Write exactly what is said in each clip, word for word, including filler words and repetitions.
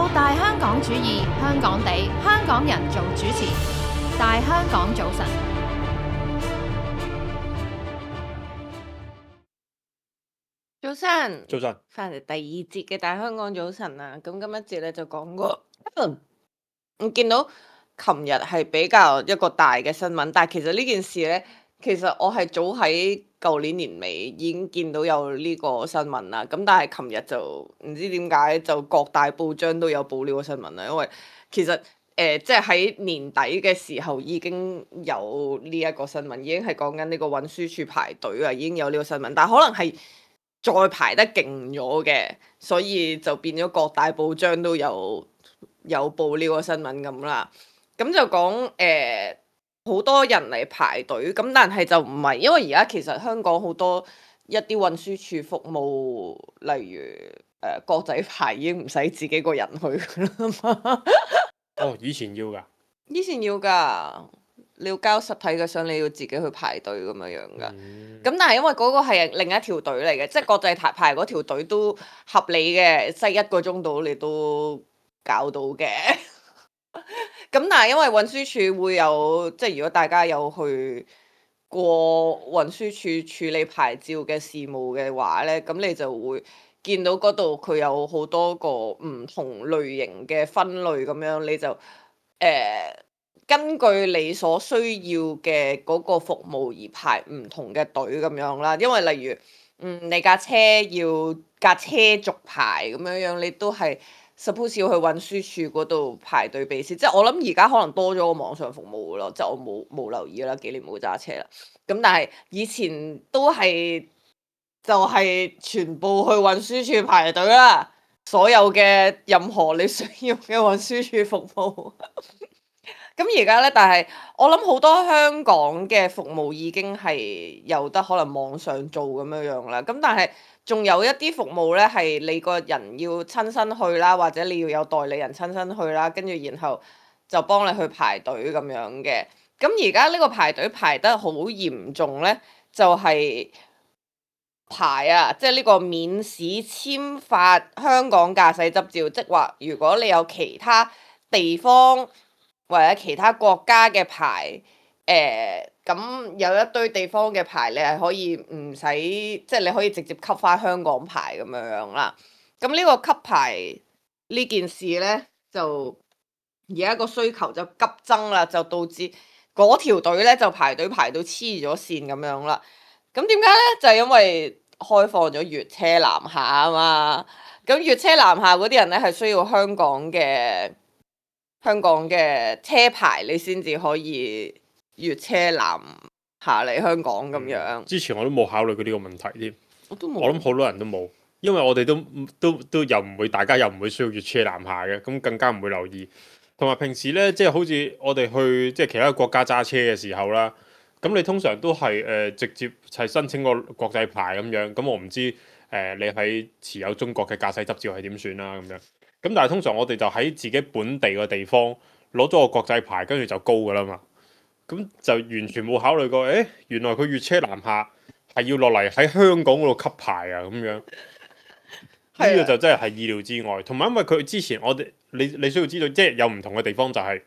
到大香港主義，香港地，香港人做主持，大香港早晨。早晨，早晨，翻嚟第二節嘅大香港早晨啊！咁今一節咧就講過，我見到琴日係比較一個大嘅新聞，但係其實呢件事咧，其實我係早喺舊年年尾已經見到有呢個新聞啦。咁但係琴日就唔知點解就各大報章都有報呢個新聞啦，因為其實。誒，即係喺年底嘅時候已經有呢一個新聞，已經係講緊呢個運輸署排隊啊，已經有呢個新聞，但係可能係再排得勁咗嘅，所以就變咗各大報章都有有報呢個新聞咁啦。咁就講誒好多人嚟排隊，咁但係就唔係，因為而家其實香港好多一啲運輸署服務，例如誒、呃、國際牌已經唔使自己個人去㗎啦嘛。哦，以前要㗎，以前要㗎，你要交實體嘅相，你要自己去排隊咁樣樣㗎。咁、嗯、但係因為嗰個係另一條隊嚟嘅，即係國際排排嗰條隊都合理嘅，即係一個鐘到你都搞到嘅。咁但係因為運輸署會有，即係如果大家有去過運輸署處理牌照嘅事務嘅話咧，咁你就會見到嗰度佢有好多個唔同類型嘅分類咁樣，你就誒、呃、根據你所需要嘅嗰個服務而排唔同嘅隊咁樣啦。因為例如嗯你架車要架車續牌咁樣樣，你都係 suppose 要去運輸署嗰度排隊俾先。即係我諗而家可能多咗個網上服務咯，即係我冇冇留意啦，幾年冇揸車啦。咁但係以前都係就係全部去運輸署排隊啦，所有嘅任何你需要嘅運輸署服務。咁而家咧，但係我諗好多香港嘅服務已經係有得可能網上做咁樣樣啦。咁但係仲有一啲服務咧，係你個人要親身去啦，或者你要有代理人親身去啦，跟住然後就幫你去排隊咁樣嘅。咁而家呢個排隊排得好嚴重咧，就係、是、排啊，即係呢個免試簽發香港駕駛執照，即係話如果你有其他地方或者其他國家嘅牌，誒咁有一堆地方嘅牌，你係可以唔使，即係你可以直接級翻香港牌咁樣樣啦。咁呢個級牌呢件事咧，就而家個需求就急增啦，就導致嗰條隊咧就排隊排到黐咗線咁樣啦。咁點解咧？就係因為開放咗粵車南下啊嘛。咁粵車南下嗰啲人咧係需要香港嘅香港嘅車牌，你先至可以粵車南下嚟香港咁樣。嗯。之前我都冇考慮過呢個問題添，我都冇。我諗好多人都冇，因為我哋都都都又唔會，大家又唔會需要粵車南下嘅，咁更加唔會留意。同埋平時呢，即係好似我哋去即係其他國家揸車嘅時候啦，咁你通常都係誒、呃、直接係申請個國際牌咁樣。咁我唔知誒、呃、你喺持有中國嘅駕駛執照係點算啦咁樣。咁但係通常我哋就喺自己本地嘅地方攞咗個國際牌，跟住就高噶啦嘛。咁就完全冇考慮過，誒原來佢粵車南下係要落嚟喺香港嗰度級牌啊咁樣。呢個就真係係意料之外。同埋因為佢之前我哋你你需要知道，即係有唔同嘅地方就係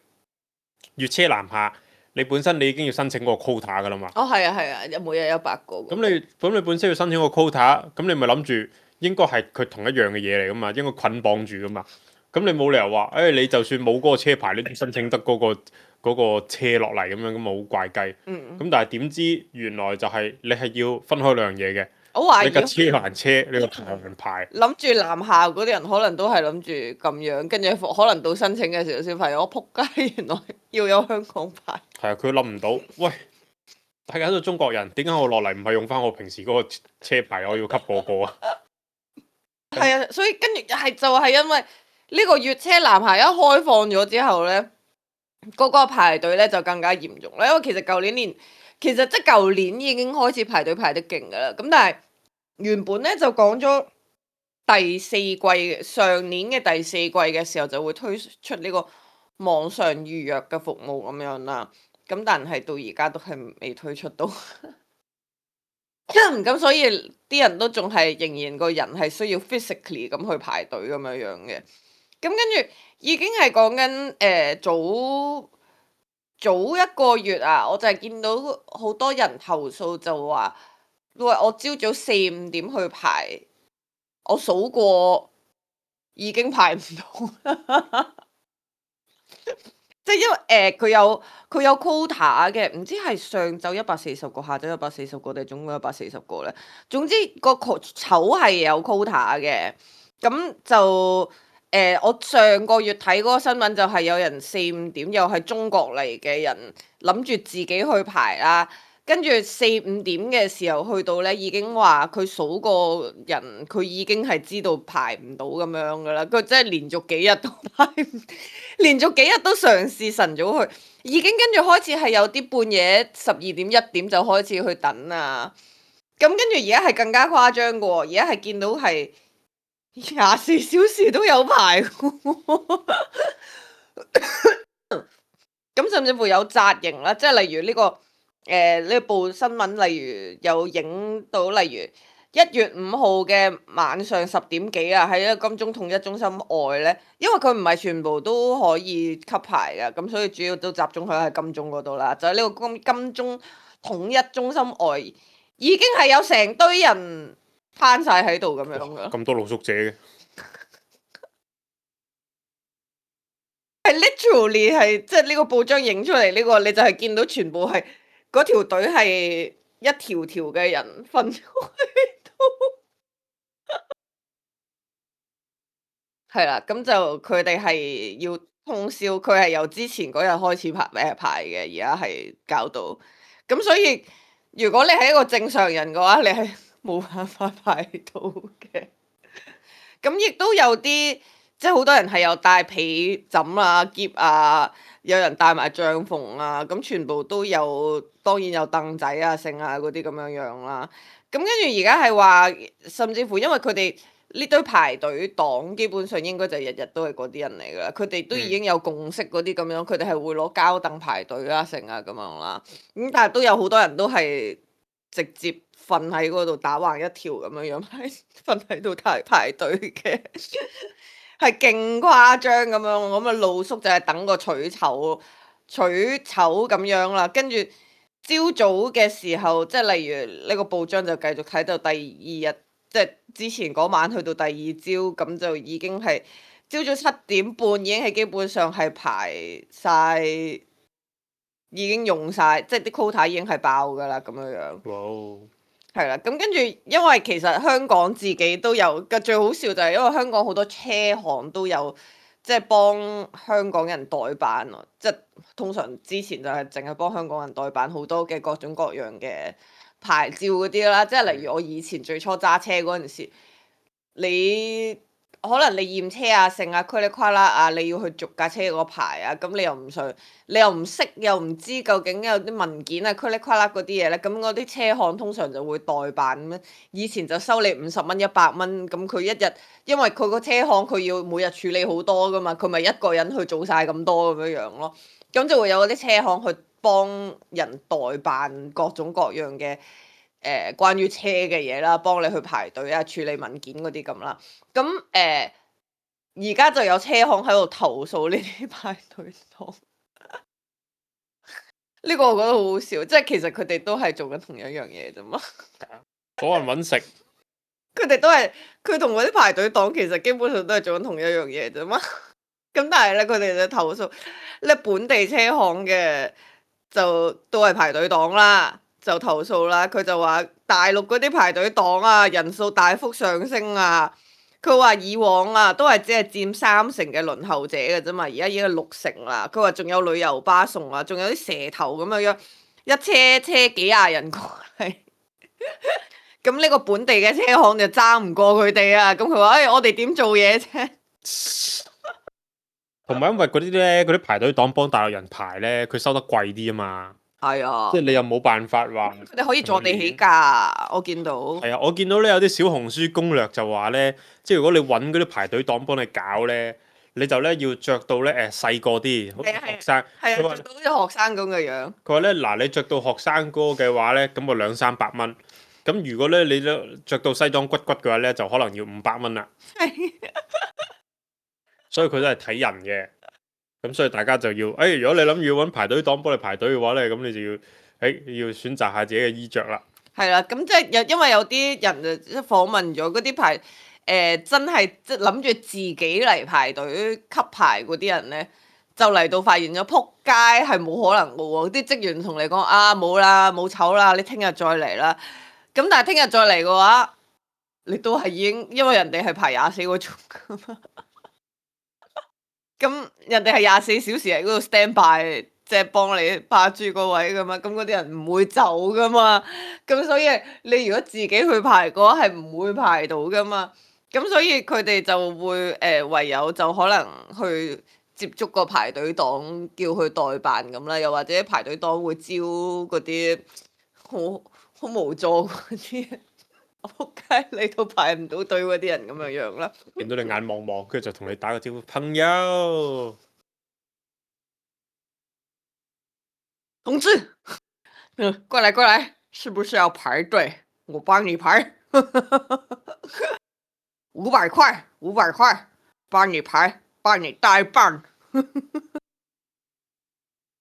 粵車南下，你本身你已經要申請個 quota 噶啦嘛。哦，係啊係啊，每日有百個。咁你咁你本身要申請個 quota，咁你咪諗住應該係佢同一樣嘅嘢嚟噶嘛，應該捆綁住噶嘛。咁你冇理由話，誒、哎、你就算冇嗰個車牌，你都申請得嗰、嗰個嗰個車落嚟咁樣，咁咪好怪雞。嗯。咁但係點知原來就係你係要分開兩樣嘢嘅。我懷疑你架車還車，你個牌還牌。諗住南下嗰啲人可能都係諗住咁樣，跟住可能到申請嘅時候先發現，我撲街，原來要有香港牌。係啊，佢諗唔到，喂，大家都中國人，點解我落嚟唔係用翻我平時嗰個車牌，我要級個個啊？係啊，所以跟住係就係因為呢個粵車南下一開放咗之後咧，嗰、嗰個排隊咧就更加嚴重啦。因為其實舊年年其實即係舊年已經開始排隊排得勁噶啦，咁但係原本咧就講咗第四季嘅上年嘅第四季嘅時候就會推出呢個網上預約嘅服務咁樣啦，咁但係到而家都係未推出到。咁所以啲人都仲係仍然個人係需要 physically 咁去排隊咁樣樣嘅。跟住已經係講緊誒早早一個月啊，我就係見到好多人投訴就話，喂，我朝早四五點去排，我數過已經排唔到。即係因為誒佢、呃、有佢有 quota 嘅，唔知係上晝一百四十個，下晝一百四十個定係總共一百四十個咧。總之個籌係有 quota 嘅，咁就誒、呃、我上個月睇嗰個新聞就係有人四五點又係中國嚟嘅人諗住自己去排啦。跟住四五點嘅時候去到咧，已經話佢數個人，佢已經係知道排唔到咁樣噶啦。佢真係連續幾日都排唔，連續幾日都嘗試晨早去，已經跟住開始係有啲半夜十二點一點就開始去等啊。咁跟住而家係更加誇張嘅喎，而家係見到係廿四小時都有排嘅喎。咁甚至乎有紮營啦，即係例如呢、呢個。誒呢、呃、部新聞，例如有影到，例如一月五號嘅晚上十點幾啊，喺一個金鐘統一中心外咧，因為佢唔係全部都可以吸牌嘅，咁所以主要都集中喺喺金鐘嗰度啦。就喺呢個金金鐘統一中心外，已經係有成堆人攤晒喺度咁樣噶。咁多露宿者嘅，係 literally 係即係呢個報章影出嚟呢、呢個，你就係見到全部係。嗰條隊係一條條嘅人分咗喺度，係啦，咁就佢哋係要通宵，佢係由之前嗰日開始排誒排嘅，而家係搞到，咁所以如果你係一個正常人嘅話，你係冇辦法排到嘅。咁亦都有啲，即係好多人係有帶被枕啊、篋啊。有人帶埋帳篷啊，咁全部都有，當然有凳仔啊、剩啊嗰啲咁樣樣啦。咁跟住而家係話，甚至乎因為佢哋呢堆排隊黨基本上應該就日日都係嗰啲人嚟噶啦，佢哋都已經有共識嗰啲咁樣，佢哋係會攞膠凳排隊啊、剩啊咁樣啦。咁但係都有好多人都係直接瞓喺嗰度打橫一條咁樣樣，瞓喺度排排隊嘅。係勁誇張咁樣，咁啊露宿就係等個取籌取籌咁樣啦。跟住朝早嘅時候，即係例如呢個報章就繼續睇到第二日，即係之前嗰晚去到第二朝，咁就已經係朝早七點半已經係基本上係排晒，已經用晒，即係啲 quota 已經係爆㗎啦咁樣樣。哇！係啦，咁跟住，因為其實香港自己都有，個最好笑就係因為香港好多車行都有，即係幫香港人代辦咯。即係通常之前就係淨係幫香港人代辦好多嘅各種各樣嘅牌照嗰啲啦。即係例如我以前最初揸車嗰陣時，你可能你驗車啊、剩啊、噼里呱啦啊，你要去續架車嗰牌啊，咁你又唔想，你又唔識，又唔知究竟有啲文件啊、噼里呱啦嗰啲嘢咧，咁嗰啲車行通常就會代辦咁樣。以前就收你五十蚊、一百蚊，咁佢一日，因為佢個車行佢要每日處理好多噶嘛，佢咪一個人去做晒咁多咁樣樣咯。咁就會有嗰啲車行去幫人代辦各種各樣嘅。誒、呃、關於車嘅嘢啦，幫你去排隊啊、處理文件嗰啲咁啦。咁誒而家就有車行喺度投訴呢啲排隊黨。呢個我覺得好好笑，即係其實佢哋都係做緊同一樣嘢啫嘛。嗰人揾食，佢哋都係佢同嗰啲排隊黨其實基本上都係做緊同一樣嘢啫嘛。咁但係咧，佢哋就投訴咧本地車行嘅就都係排隊黨啦。就投訴啦，佢就話大陸嗰啲排隊黨啊，人數大幅上升啊。佢話以往啊，都係只係佔三成嘅輪候者嘅啫嘛，而家已經係六成啦。佢話仲有旅遊巴送啊，仲有啲蛇頭咁樣樣，一車車幾廿人過嚟。咁呢個本地嘅車行就爭唔過佢哋啊。咁佢話：誒，我哋點做嘢啫？同埋因為嗰啲咧，嗰啲排隊黨幫大陸人排咧，佢收得貴啲啊嘛。係啊，即係你又冇辦法話，佢哋可以坐地起價，我見到。係啊，我見到咧有啲小紅書攻略就話咧，即係如果你揾嗰啲排隊黨幫你搞咧，你就咧要着到咧誒細個啲，好似學生。係啊，着到好似學生咁嘅樣。佢話咧嗱，你着到學生哥嘅話咧，咁啊兩三百蚊。咁如果咧你都着到西裝骨骨嘅話咧，就可能要五百蚊啦。所以佢都係睇人嘅。咁所以大家就要，誒、哎，如果你諗住要揾排隊黨幫你排隊嘅話咧，咁你就要，誒、哎，要選擇下自己嘅衣着啦。係啦，咁即係有因為有啲人就即係訪問咗嗰啲排誒、呃、真係即係諗住自己嚟排隊吸牌嗰啲人咧，就嚟到發現咗撲街係冇可能嘅喎，啲職員同你講啊冇啦冇籌啦，你聽日再嚟啦。咁但係聽日再嚟嘅話，你都係已經因為人哋係排廿四個鐘㗎嘛，咁人哋係廿四小時喺嗰度 stand by。即係幫你霸住個位噶嘛，咁嗰啲人唔會走噶嘛，咁所以你如果自己去排嘅話係唔會排到噶嘛，咁所以佢哋就會誒、呃、唯有就可能去接觸個排隊黨，叫佢代辦咁啦，又或者排隊黨會招嗰啲好好無助嗰啲，仆街你都排唔到隊嗰啲人咁樣樣啦。見到你眼望望，跟住就同你打個招呼，朋友。同志，嗯，過來過來，是不是要排隊？我幫你排，五百塊，五百塊，幫你排，幫你代辦。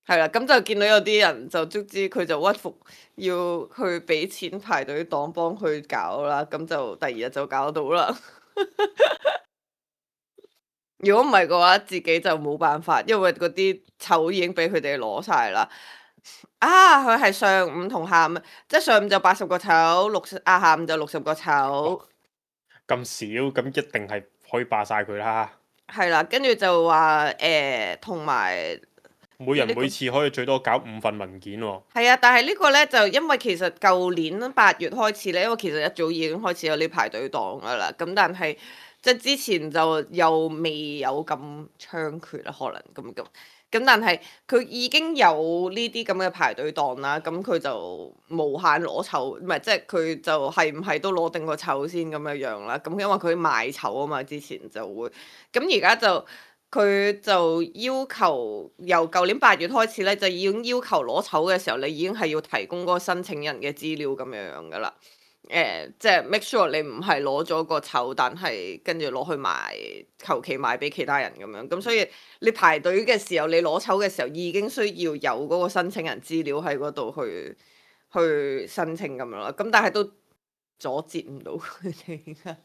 係啦，咁就見到有啲人就卒之佢就屈服，要去俾錢排隊黨幫佢搞啦，咁就第二日就搞到啦。如果唔係嘅話，自己就冇辦法，因為嗰啲籌已經俾佢哋攞晒啦。啊！佢係上午同下午，即係上午就八十個籌，六啊下午就六十個籌。咁少，咁一定係可以霸晒佢啦。係啦，跟住就話誒，同、呃、埋每人每次可以最多搞五份文件喎、哦。係啊，但係呢個呢，就因為其實舊年八月開始呢，因為其實一早已經開始有呢排隊黨噶啦，咁但係即係之前就又未有咁猖獗啦，可能咁咁。咁但係佢已經有呢啲咁嘅排隊檔啦，咁佢就無限攞籌，唔係即係佢就係唔係都攞定個籌先咁樣樣啦。咁因為佢賣籌啊嘛，之前就會，咁而家就佢就要求由舊年八月開始咧，就已經要求攞籌嘅時候，你已經係要提供嗰個申請人嘅資料咁樣樣噶啦。誒、呃，即係 make sure 你唔係攞咗個籌，但係跟住攞去賣，求其賣俾其他人咁樣。咁所以你排隊嘅時候，你攞籌嘅時候已經需要有嗰個申請人資料喺嗰度去去申請咁樣啦。咁但係都阻截唔到佢哋㗎，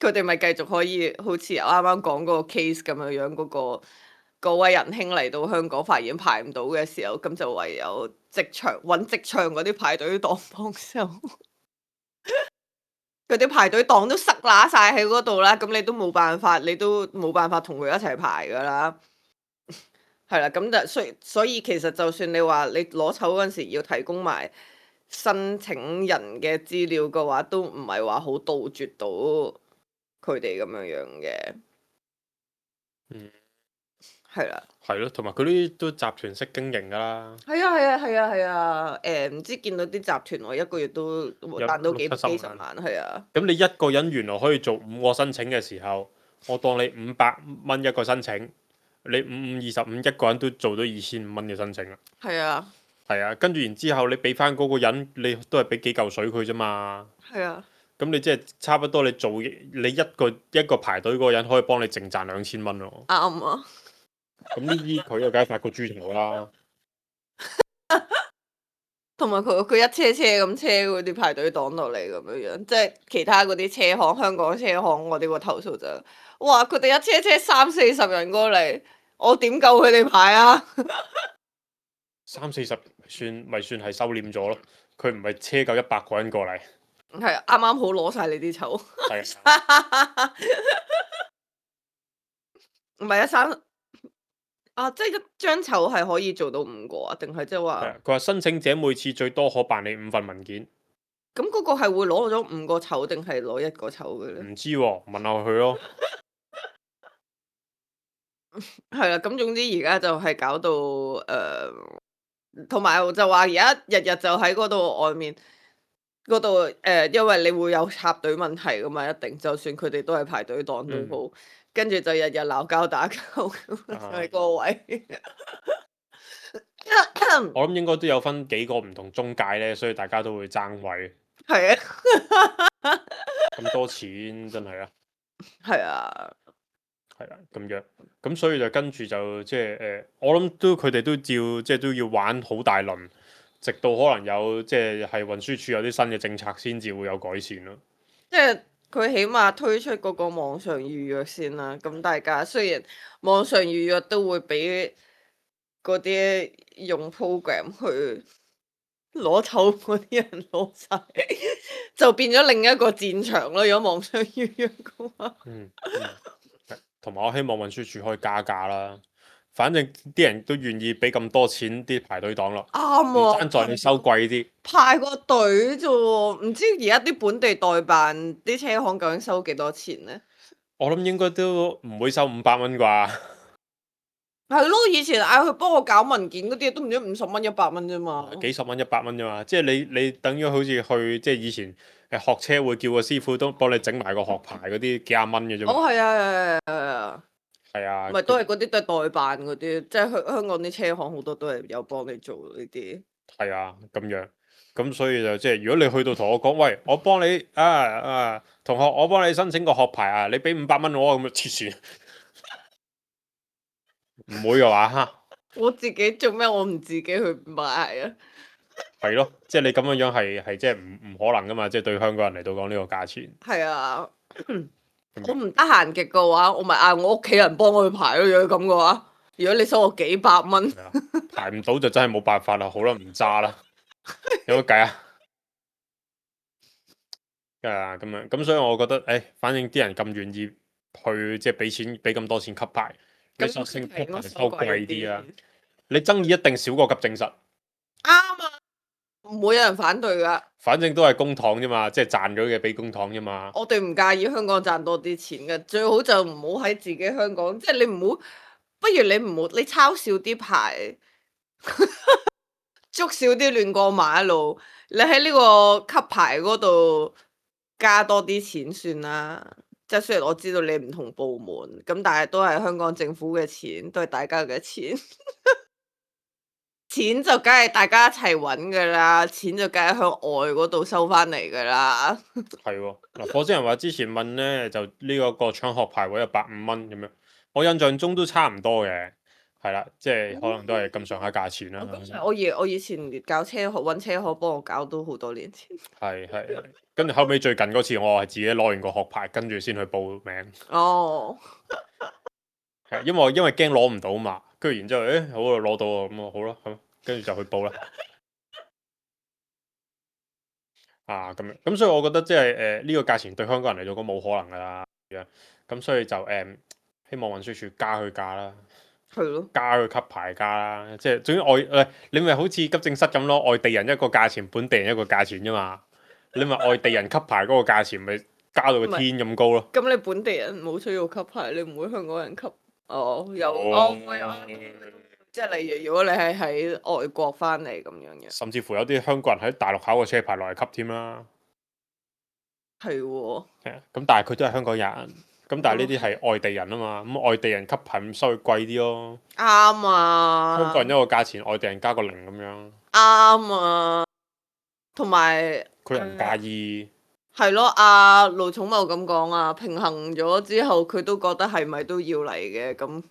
佢哋咪繼續可以好似啱啱講嗰個 case 咁樣樣嗰個。嗰位仁兄嚟到香港發現排唔到嘅時候，咁就唯有職場揾職場嗰啲排隊黨幫手，佢啲排隊黨都塞乸晒喺嗰度啦，咁你都冇辦法，你都冇辦法同佢一齊排噶啦，係啦，咁就所以所以其實就算你話你攞籌嗰陣時要提供埋申請人嘅資料嘅話，都唔係話好杜絕到佢哋咁樣樣嘅，嗯。係啦，係咯，同埋佢啲都集團式經營噶啦。係啊係啊係啊係啊，誒唔知見到啲集團我一個月都賺到幾幾十萬，係啊。咁你一個人原來可以做五個申請嘅時候，我當你五百蚊一個申請，你五五二十五一個人都做到二千五蚊嘅申請啦。係啊。係啊，跟住然之後你俾翻嗰個人，你都係俾幾嚿水佢啫嘛。係啊。咁你即係差不多，你做你一個一個排隊嗰個人可以幫你淨賺兩千蚊咯。啱啊。咁呢啲佢又梗係發個豬頭啦，同埋佢佢一車車咁車嗰啲排隊黨落嚟咁樣樣，即係其他嗰啲車行，香港車行我哋個投訴就，哇！佢哋一車車三四十人過嚟，我點夠佢哋排啊？三四十算咪算係收斂咗咯？佢唔係車夠一百個人過嚟，係啊，啱啱好攞晒你啲籌。係唔係啊，三。啊！即係一張籌係可以做到五個啊？定係即係話？佢話申請者每次最多可辦理五份文件。咁嗰個係會攞咗五個籌定係攞一個籌嘅咧？唔知喎、哦，問下佢咯。係啦，咁總之而家就係搞到誒，同、呃、埋就話而家日日就喺嗰度外面嗰度誒，因為你會有插隊問題噶嘛，一定就算佢哋都係排隊黨都好。嗯跟住就日日鬧交打交咁喺個位。我諗應該都有分幾個唔同中介咧，所以大家都會爭位。係啊。咁多錢真係啊。係啊。係啦咁樣，咁所以就跟住就即係誒，我諗都佢哋都照即係都要玩好大輪，直到可能有即係係運輸署有啲新嘅政策先至會有改善咯。即係佢起碼推出嗰個網上預約先啦。咁大家雖然網上預約都會俾嗰啲用 program 去攞籌嗰啲人攞晒，就變咗另一個戰場咯。如果網上預約嘅話，嗯，同埋我希望運輸署可以加價啦。反正啲人都願意俾咁多錢啲排隊黨咯，唔啱喎。爭在你收貴啲。排個隊啫喎，唔知而家啲本地代辦啲車行究竟收幾多錢呢？我諗應該都唔會收五百蚊啩。係咯，以前嗌佢幫我搞文件嗰啲都唔知五十蚊一百蚊啫嘛。幾十蚊一百蚊啫嘛，即係你你等於好似去即係以前誒學車會叫個師傅都幫你整埋個學牌嗰啲幾廿蚊嘅啫嘛。哦，係啊，係啊，係啊，係啊，咪都係嗰啲都係代辦嗰啲，即係香香港啲車行好多都係有幫你做呢啲。係啊，咁樣，咁所以就即係如果你去到同我講，喂，我幫你啊啊同學，我幫你申請個學牌啊，你俾五百蚊我咁啊，黐線，唔會嘅話嚇，我自己做咩？我唔自己去買啊？係咯，即係你咁樣樣係係即係唔唔可能噶嘛，即係對香港人嚟到講呢個價錢。係啊，我唔得閒極嘅話，我咪嗌我屋企人幫我去排咯。如果咁嘅話，如果你收我幾百蚊，係啊排唔到就真係冇辦法啦，好啦，唔揸啦，有乜計啊？啊咁樣，咁所以我覺得，誒，反正啲人咁願意去，即係俾錢俾咁多錢級牌，你索性級牌收貴啲啦。你爭議一定少過急症室。啱啊，唔會有人反對噶。反正都係公帑啫嘛，即係賺咗嘅俾公帑啫嘛。我哋唔介意香港賺多啲錢嘅，最好就唔好喺自己香港，即係你唔好，不如你唔好，你抄少啲牌，捉少啲亂過馬路，你喺呢個級牌嗰度加多啲錢算啦。即係雖然我知道你唔同部門，咁但係都係香港政府嘅錢，都係大家嘅錢。錢就梗係大家一齊揾噶啦，錢就梗係向外嗰度收翻嚟噶啦。係喎，嗱，火星人話之前問呢，就呢個個搶學牌位有百五蚊咁樣，我印象中都差唔多嘅，係啦，即係可能都係咁上下價錢啦。我以我以前搞車學揾車學幫我搞都好多年前。係係係，跟住後尾最近嗰次我係自己攞完個學牌，跟住先去報名。哦，係因為因為驚攞唔到嘛，跟住然之後誒好啊攞到啊，咁啊好啦，咁跟住就去報啦。啊咁樣，咁所以我覺得即係誒呢個價錢對香港人嚟講冇可能噶啦，咁所以就誒、呃、希望運輸署加佢價啦，係咯，加佢級牌價啦，即係總之外誒你咪好似急症室咁咯，外地人一個價錢，本地人一個價錢啫嘛，你咪外地人級牌嗰個價錢咪加到個天咁高咯。咁你本地人冇需要級牌，你唔會香港人級？哦，有哦哦，即係例如如果你係喺外國翻嚟咁樣嘅，甚至乎有啲香港人喺大陸考個車牌落嚟級添啦。係喎，係啊，咁但係佢都係香港人，咁但係呢啲係外地人啊嘛，咁外地人級牌咁收佢貴啲咯。啱啊，香港人一個價錢，外地人加個零咁樣。啱啊，同埋佢又唔介意。係咯，阿盧寵茂咁講啊，平衡咗之後，佢都覺得係咪都要嚟嘅，咁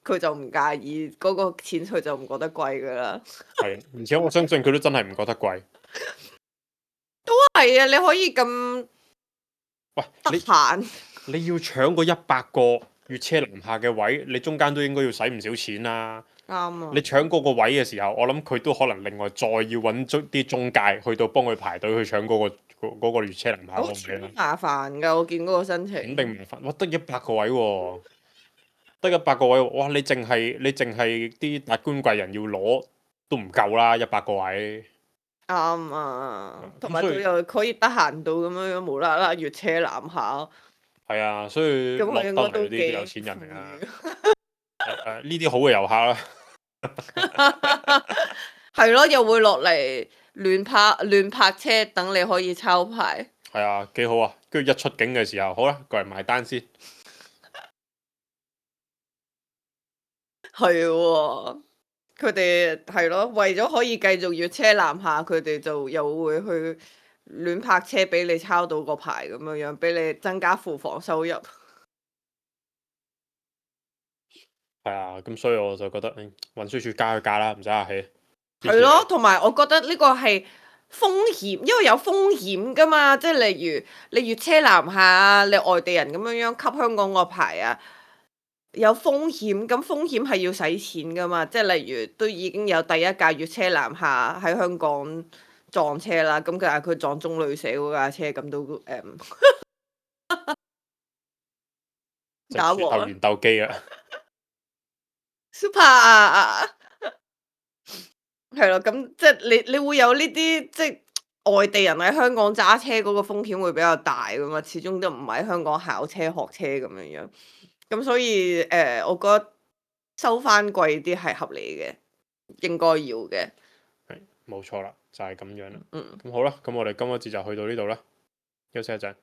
佢就唔介意嗰個錢，佢就唔覺得貴噶啦。係，而且我相信佢都真係唔覺得貴。係啊，你可以咁喂，得你閒，你要搶個一百個越車南下嘅位，你中間都應該要使唔少錢啦。啱啊。你搶嗰個位嘅時候，我諗佢都可能另外再要揾啲中介去到幫佢排隊去搶嗰、個嗰、個越車南下好嗰個位啦。麻煩㗎，我見嗰個申請。肯定麻煩，哇！得一百個位喎、得一百個位喎，哇！你淨係你淨係啲達官貴人要攞都唔夠啦，一百個位。啱啊，同埋咁所以佢又可以得閒到咁樣樣無啦啦越車南下，係啊，所以咁落得佢應該都嚟呢啲幾有錢人嚟啊！誒呢啲好嘅遊客啦，係咯，又會落嚟亂泊亂泊車，等你可以抄牌。係啊，幾好啊！跟住一出境嘅時候，好啦，過嚟埋單先。係喎，佢哋係咯，為咗可以繼續越車南下，佢哋就又會去亂泊車俾你抄到個牌咁樣樣，俾你增加庫房收入。係啊，咁所以我就覺得，嗯，運輸署加佢價啦，唔使客氣。係咯，同埋我覺得呢個係風險，因為有風險噶嘛，即係例如你越車南下啊，你外地人咁樣樣吸香港個牌啊，有風險，咁風險係要使錢噶嘛，即係例如都已經有第一架越車南下喺香港撞車啦，咁佢係佢撞中女死嗰架車，咁都誒打鬥和完鬥機啊！ super 啊！係咯，咁即係你你會有呢啲即係外地人喺香港揸車嗰個風險會比較大噶嘛，始終都唔喺香港考車學車咁樣樣，咁所以誒、呃，我覺得收翻貴啲係合理嘅，應該要嘅。係冇錯啦，就係、是、咁樣啦。嗯。咁好啦，咁我哋今個節就去到呢度啦，休息一陣。